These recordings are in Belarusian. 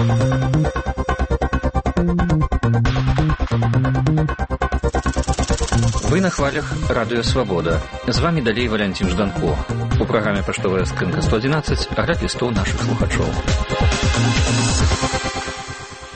Вы на хвалях Радио Свобода. З вами далей Валянцін Жданко. У праграме «Паштовая скрынка 111» агляд лістоў нашых слухачоў.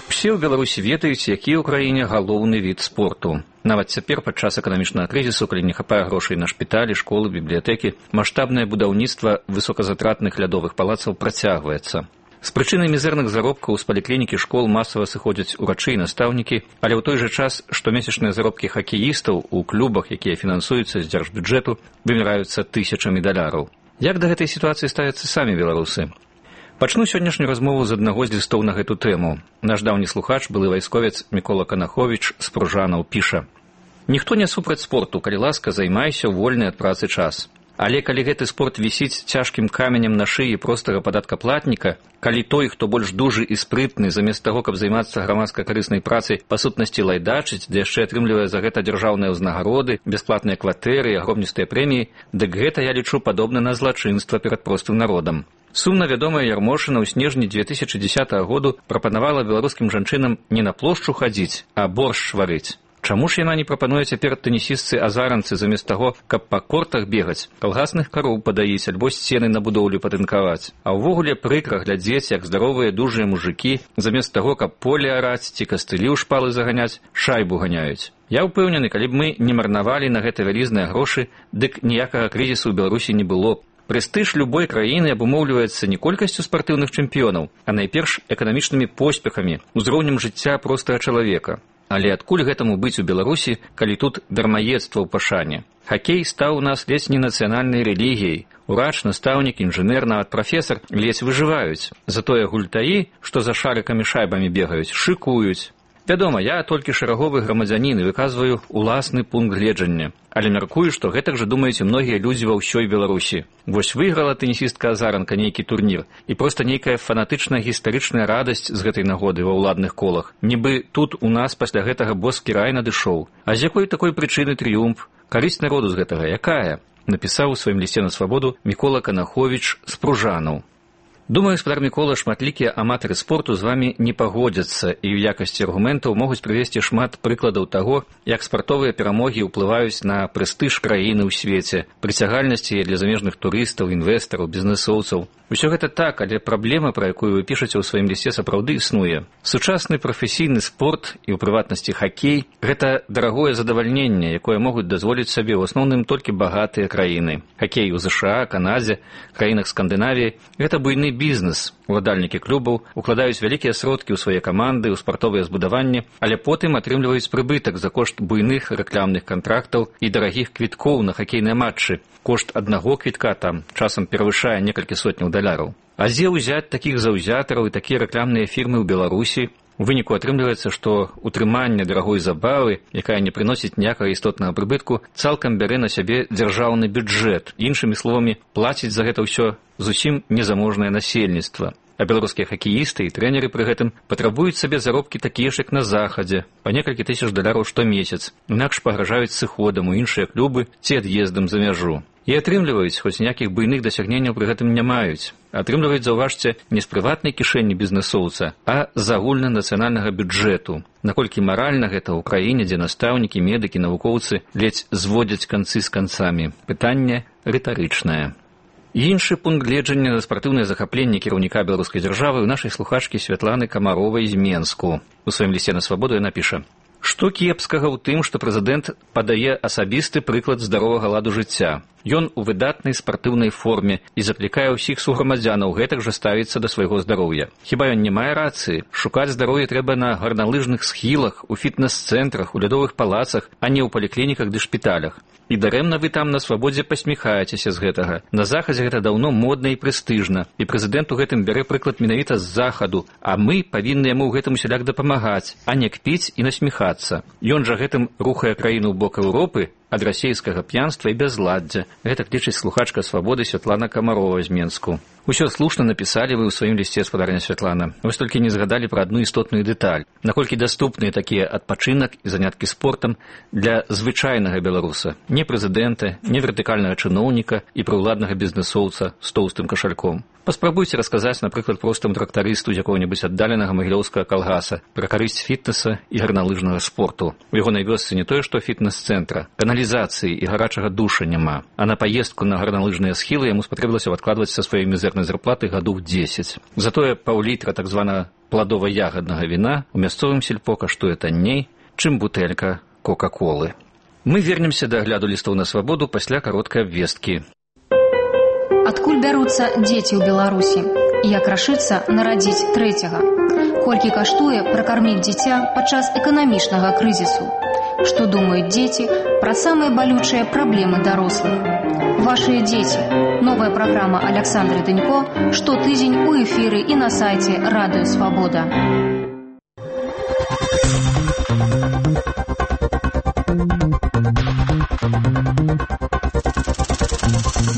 Усе ў Беларусі ведаюць, які ў краіне галоўны від спорту. Нават цяпер, падчас эканамічнага крызісу, калі не хапае грошай на шпіталі, школы, бібліятэкі, маштабнае будаўніцтва высоказатратных лядовых палацаў працягваецца. З прычыны мізэрных заробкаў з паліклінікі школ масава сыходзяць урачы і настаўнікі, але ў той жа час штомесячныя заробкі хакеістаў у клубах, якія фінансуюцца з дзяржбюджэту, вымяраюцца тысячамі даляраў. Як да гэтай сітуацыі ставяцца самі беларусы? Пачну сённяшнюю размову з аднаго з лістоў на гэту тэму. Наш даўні слухач, былы вайсковец Мікола Канаховіч з Пружанаў піша: «Ніхто не супраць спорту, калі ласка, займайся ў вольны ад працы час. Але калі гэты спорт вісіць цяжкім каменем на шыі простага падаткаплатніка, калі той, хто больш дужы і спрытны, замест таго, каб займацца грамадска-карыснай працай, па сутнасці лайдачыць, ды яшчэ атрымлівае за гэта дзяржаўныя ўзнагароды, бясплатныя кватэры і агромністыя прэміі, дык гэта я лічу падобна на злачынства перад простым народам». Сумна вядомая Ярмошына ў снежні 2010 году прапанавала беларускім жанчынам не на плошчу хадзіць, а боршч варыць. Чаму ж яна не прапануе цяпер тэнісістцы-азаранцы замест таго, каб па кортах бегаць, калгасных кароў падаіць альбо сцены на будоўлю патынкаваць? А ўвогуле прыкра глядзець, як здаровыя дужыя мужыкі замест таго, каб поле араць ці кастылі ў шпалы заганяць, шайбу ганяюць. Я ўпэўнены, калі б мы не марнавалі на гэта вялізныя грошы, дык ніякага крызісу ў Беларусі не было б. Прэстыж любой краіны абумоўліваецца не колькасцю спартыўных чэмпіёнаў, а найперш эканамічнымі поспехамі, узроўнем жыцця простага чалавека. Але адкуль гэтаму быць у Беларусі, калі тут дармаедства ў пашане? Хакей стаў у нас ледзь не нацыянальнай рэлігіяй. Урач, настаўнік, інжынер, нават прафесар ледзь выжываюць. Затое гультаі, што за шарыкамі шайбамі бегаюць, шыкуюць. Вядома, я толькі шараговы грамадзянін і выказваю уласны пункт гледжання. Але мяркую, што гэтак жа думаюць і многія людзі ва ўсёй Беларусі. Вось выйграла тэнісістка-азаранка нейкі турнір, і проста нейкая фанатычная гістарычная радасць з гэтай нагоды ва ўладных колах. Нібы тут у нас пасля гэтага боскі рай надышоў. А з якой такой прычыны трыумф? Карысць народу з гэтага якая? Напісаў у сваім лісце на свабоду Мікола Канаховіч з Пружанаў. Думаю, гаспадар Мікола, шматлікія аматары спорту з вамі не пагодзяцца і ў якасці аргументаў могуць прывесці шмат прыкладаў таго, як спартовыя перамогі ўплываюць на прэстыж краіны ў свеце, прыцягальнасці для замежных турыстаў, інвестараў, бізнэсоўцаў. Усё гэта так, але праблема, пра якую вы пішаце ў сваім лісце, сапраўды існуе. Сучасны прафесійны спорт, і ў прыватнасці хакей, гэта дарагое задавальненне, якое могуць дазволіць сабе ў асноўным толькі багатыя краіны. Хакей у ЗША, Канадзе, краінах Скандынавіі – гэта буйны бізнес. Уладальнікі клубаў укладаюць вялікія сродкі ў свае каманды, ў спартовыя збудаванні, але потым атрымліваюць прыбытак за кошт буйных рэкламных кантрактаў і дарагіх квіткоў на хакейныя матчы. Кошт аднаго квітка там часам перавышае некалькі сотняў даляраў. А дзе ўзяць такіх заўзятараў і такія рэкламныя фірмы ў Беларусі? У выніку атрымліваецца, што утрыманне дарагой забавы, якая не прыносіць ніякага істотнага прыбытку, цалкам бярэ на сябе дзяржаўны бюджэт. Іншымі словамі, плаціць за гэта ўсё зусім незаможнае насельніцтва. А беларускія хакеісты і трэнеры пры гэтым патрабуюць сабе заробкі такія ж, як на захадзе, па некалькі тысяч даляраў штомесяц, інакш пагражаюць сыходам у іншыя клубы ці ад'ездам за мяжу. І атрымліваюць, хоць ніякіх буйных дасягненняў пры гэтым не маюць. Атрымліваюць, заўважце, не з прыватнай кішэні бізнэсоўца, а з агульнанацыянальнага бюджэту. Наколькі маральна гэта ў краіне, дзе настаўнікі, медыкі, навукоўцы ледзь зводзяць канцы з канцамі? Пытанне рытарычнае. Іншы пункт гледжання на спартыўнае захапленне кіраўніка беларускай дзяржавы ў нашай слухачкі Святланы Камаровай з Менску. У сваім лісце на свабоду яна піша: «Што кепскага ў тым, што прэзідэнт падае асабісты прыклад здаровага ладу жыцця? Ён у выдатнай спартыўнай форме і заклікае ўсіх суграмадзянаў гэтак жа ставіцца да свайго здароўя. Хіба ён не мае рацыі? Шукаць здароўе трэба на гарналыжных схілах, у фітнес-цэнтрах, у лядовых палацах, а не ў паліклініках ды шпіталях. І дарэмна вы там на свабодзе пасміхаецеся з гэтага. На захадзе гэта даўно модна і прэстыжна, і прэзідэнт у гэтым бярэ прыклад менавіта з захаду, а мы павінны яму ў гэтым усяляк дапамагаць, а не кпіць і насміхацца. Ён жа гэтым рухае краіну ў бок Еўропы ад расейскага п'янства і бязладдзя». Гэтак лічыць слухачка свабоды Святлана Камарова з Менску. Усё слушна напісалі вы ў сваім лісце, спадарня Святлана. Вось толькі не згадалі пра адну істотную дэталь. Наколькі даступныя такія адпачынак і заняткі спортам для звычайнага беларуса, не прэзідэнта, не вертыкальнага чыноўніка і прыўладнага бізнэсоўца з тоўстым кашальком. Паспрабуйце расказаць, напрыклад, простаму трактарысту з якога-небудзь аддаленага магілёўскага калгаса пра карысць фітнеса і гарналыжнага спорту. У яго вёсцы не тое, што фітнес-цэнтра, каналізацыі і гарачага душа няма, а на паездку на гарналыжныя схілы яму спатрэбілася адкладваць са сваёй мізэрнай зарплаты гадоў 10. Затое паўлітра так званага пладова-ягаднага віна у мясцовым сельпо каштуе танней, чым бутэлька кока-колы. Мы вернемся да агляду лістоў на свабоду пасля кароткай абвесткі. Адкуль бяруцца дзеці ў Беларусі? Як рашыцца нарадзіць трэцяга? Колькі каштуе пракарміць дзіця падчас эканамічнага крызісу? Што думаюць дзеці пра самыя балючыя праблемы дарослых? Вашыя дзеці. Новая праграма Александры Дынько штотыдзень у эфіры і на сайце Радыё Свабода.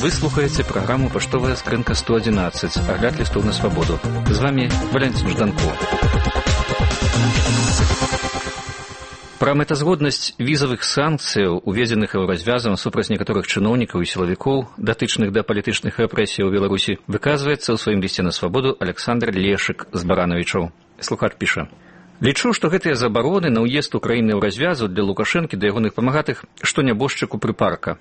Вы слухаеце праграму «Паштовая скрынка 111», агляд лістоў на свабоду. З вами Валентин Жданко. Пра мэтазгоднасць візавых санкцыяў, уведзеных еўразвязам супраць некаторых чыноўнікаў і сілавікоў, датычных да палітычных рэпрэсій у Беларусі, выказваецца ў сваім лісце на свабоду Александр Лешык з Баранавічоў. Слухач піша: «Лічу, што гэтыя забароны на ўезд Украіны ў развязу для Лукашэнкі да ягоных памагатых, што нябожчыку прыпарка.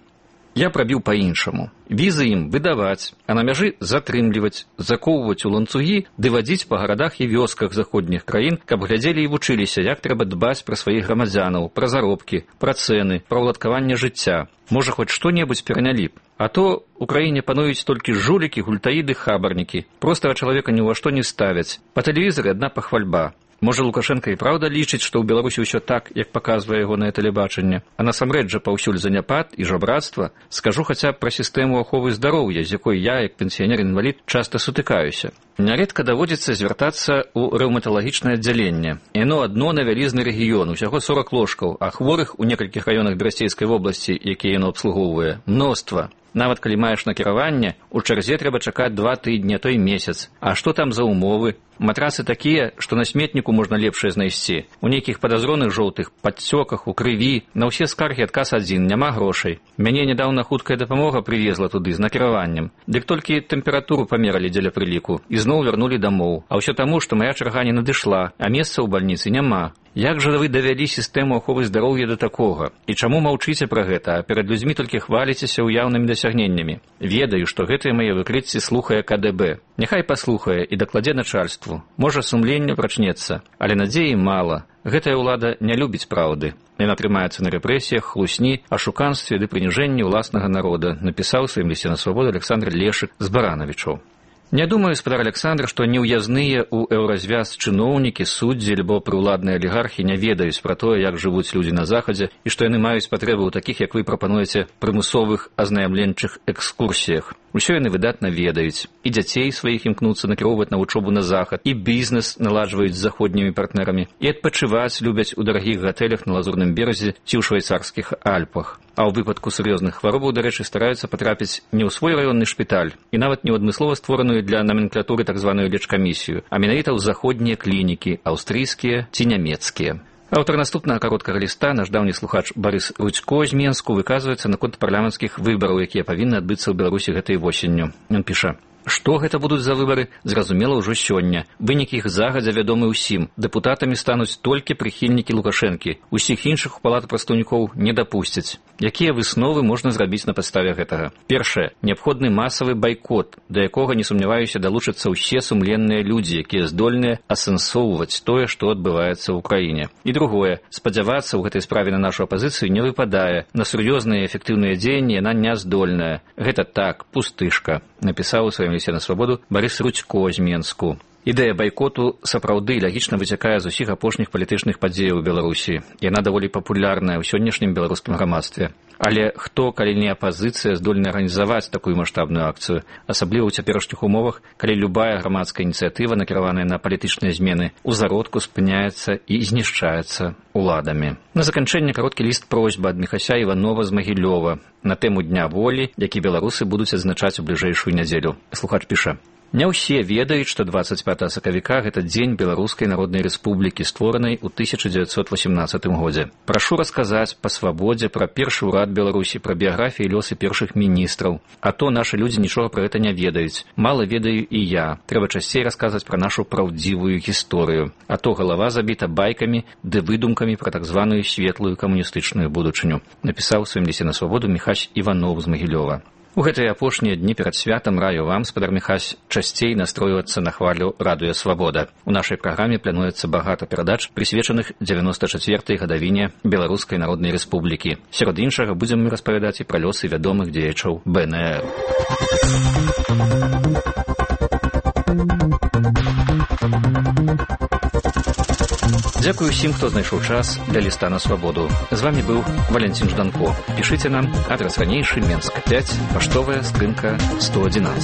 Я прабіў па-іншаму. Візы ім выдаваць, а на мяжы затрымліваць, закоўваць у ланцугі ды вадзіць па гарадах і вёсках заходніх краін, каб глядзелі і вучыліся, як трэба дбаць пра сваіх грамадзянаў, пра заробкі, пра цэны, пра ўладкаванне жыцця. Можа, хоць што-небудзь перанялі б. А то ў краіне пануюць толькі жулікі, гультаіды, хабарнікі. Простага чалавека ні ўва што не ставяць. Па тэлевізары адна пахвальба. Можа, Лукашенко і праўда лічыць, што ў Беларусі ўсё так, як паказвае ягонае тэлебачанне. А насамрэч жа паўсюль заняпад і жабрацтва. Скажу хаця б пра сістэму аховы здароўя, з якой я, як пенсіянер-інвалід, часта сутыкаюся. Няредка даводзіцца звяртацца ў рэўматалагічнае аддзяленне. Яно адно на вялізны рэгіён, усяго 40 ложкаў, а хворых у некалькіх раёнах Берасцейскай вобласці, якія яно абслугоўвае, мноства. Нават калі маеш накіраванне, у чарзе трэба чакаць 2 тыдні, а то і месяц. А што там за умовы? Матрасы такія, што на сметніку можна лепшае знайсці. У нейкіх падазроных жоўтых падцёках, у крыві. На ўсе скаргі адказ адзін, няма грошай. Мяне нядаўна хуткая дапамога прывезла туды з накіраваннем. Дык толькі тэмпературу памералі дзеля прыліку. І зноў вярнулі дамоў. А ўсё таму, што мая чарга не надышла, а месца ў бальніцы няма. Як жа вы давялі сістэму аховы здароўя да такога? І чаму маўчыце пра гэта, а перад людзьмі толькі хваліцеся ўяўнымі дасягненнямі? Ведаю, што гэтыя мае выкрыцці слухае КДБ. Няхай паслухае і дакладзе начальству. Можа, сумленне прачнецца, але надзеі мала. Гэтая ўлада не любіць праўды. Яна трымаецца на рэпрэсіях, хлусні, ашуканстве ды прыніжэнні ўласнага народа, напісаў у сваім лісце на свабоду Александр Лешык з Баранавічоў. Не думаю, спадар Александр, што неўязныя ў еўразвяз чыноўнікі, суддзі альбо прыўладныя алігархі не ведаюць пра тое, як жывуць людзі на захадзе і што яны маюць патрэбу ў такіх, як вы прапануеце, прымусовых азнаямленчых экскурсіях. Усё яны выдатна ведаюць. І дзяцей сваіх імкнуцца накіроўваць на вучобу на захад, і бізнес наладжваюць з заходнімі партнерамі, і адпачываць любяць у дарагіх гатэлях на Лазурным беразе ці ў швейцарскіх Альпах. А ў выпадку сур'ёзных хваробаў, дарэчы, стараюцца патрапіць не ў свой раённы шпіталь і нават не ў адмыслова створаную для номенклатуры так званую лечкамісію, а менавіта ў заходнія клінікі, аўстрыйскія ці нямецкія. Аўтар наступнага кароткага ліста, наш даўні слухач Барыс Рудзько з Менску, выказваецца наконт парламенцкіх выбараў, якія павінны адбыцца ў Беларусі гэтай восенню. Ён піша: Што гэта будуць за выбары, зразумела ўжо сёння. Вынік іх загадзя вядомы ўсім. Дэпутатамі стануць толькі прыхільнікі Лукашэнкі. Усіх іншых у палату прадстаўнікоў не дапусцяць. Якія высновы можна зрабіць на падставе гэтага? Першае. Неабходны масавы байкот, да якога, не сумняваюся, далучацца ўсе сумленныя людзі, якія здольныя асэнсоўваць тое, што адбываецца ў краіне. І другое. Спадзявацца ў гэтай справе на нашу апазіцыю не выпадае. На сур'ёзныя і эфектыўныя дзеянні яна не здольная. Гэта так, пустышка, напісаў у сваім лісце на свабоду Барыс Рудзько з Менску. Ідэя байкоту сапраўды лагічна выцякае з усіх апошніх палітычных падзеяў у Беларусі. Яна даволі папулярная ў сённяшнім беларускім грамадстве. Але хто, калі не апазіцыя, здольны арганізаваць такую маштабную акцыю, асабліва ў цяперашніх умовах, калі любая грамадская ініцыятыва, накіраваная на палітычныя змены, у зародку спыняецца і знішчаецца уладамі. На заканчэнне кароткі ліст просьба ад Міхася Іванова з Магілёва на тэму Дня волі, які беларусы будуць адзначаць у бліжэйшую нядзелю. Слухач піша: «Не ўсе ведаюць, што 25 сакавіка – гэта дзень Беларускай Народнай Рэспублікі, створанай у 1918 годзе. Прашу расказаць па свабодзе, пра першы ўрад Беларусі, пра біяграфіі і лёсы першых міністраў. А то нашы людзі нічога пра гэта не ведаюць. Мала ведаю і я. Трэба часцей расказваць пра нашу праўдзівую гісторыю. А то галава забіта байкамі ды выдумкамі пра так званую светлую камуністычную будучыню», напісаў у сваім лісце на свабоду Міхась Іванов з Магілёва. У гэтыя апошнія дні перад святам раю вам, спадар Міхась, часцей настройвацца на хвалю «Радыё Свабода». У нашай праграме плануецца багата перадач, прысвечаных 94-й гадавіне Беларускай Народнай Рэспублікі. Сярод іншага будзем мы распавядаць і пра лёсы вядомых дзеячаў БНР. Дзякую ўсім, хто знайшоў час для ліста на свабоду. З вамі быў Валентин Жданко. Пішыце нам, адрас ранейшы, Менск 5, паштовая скрынка 111.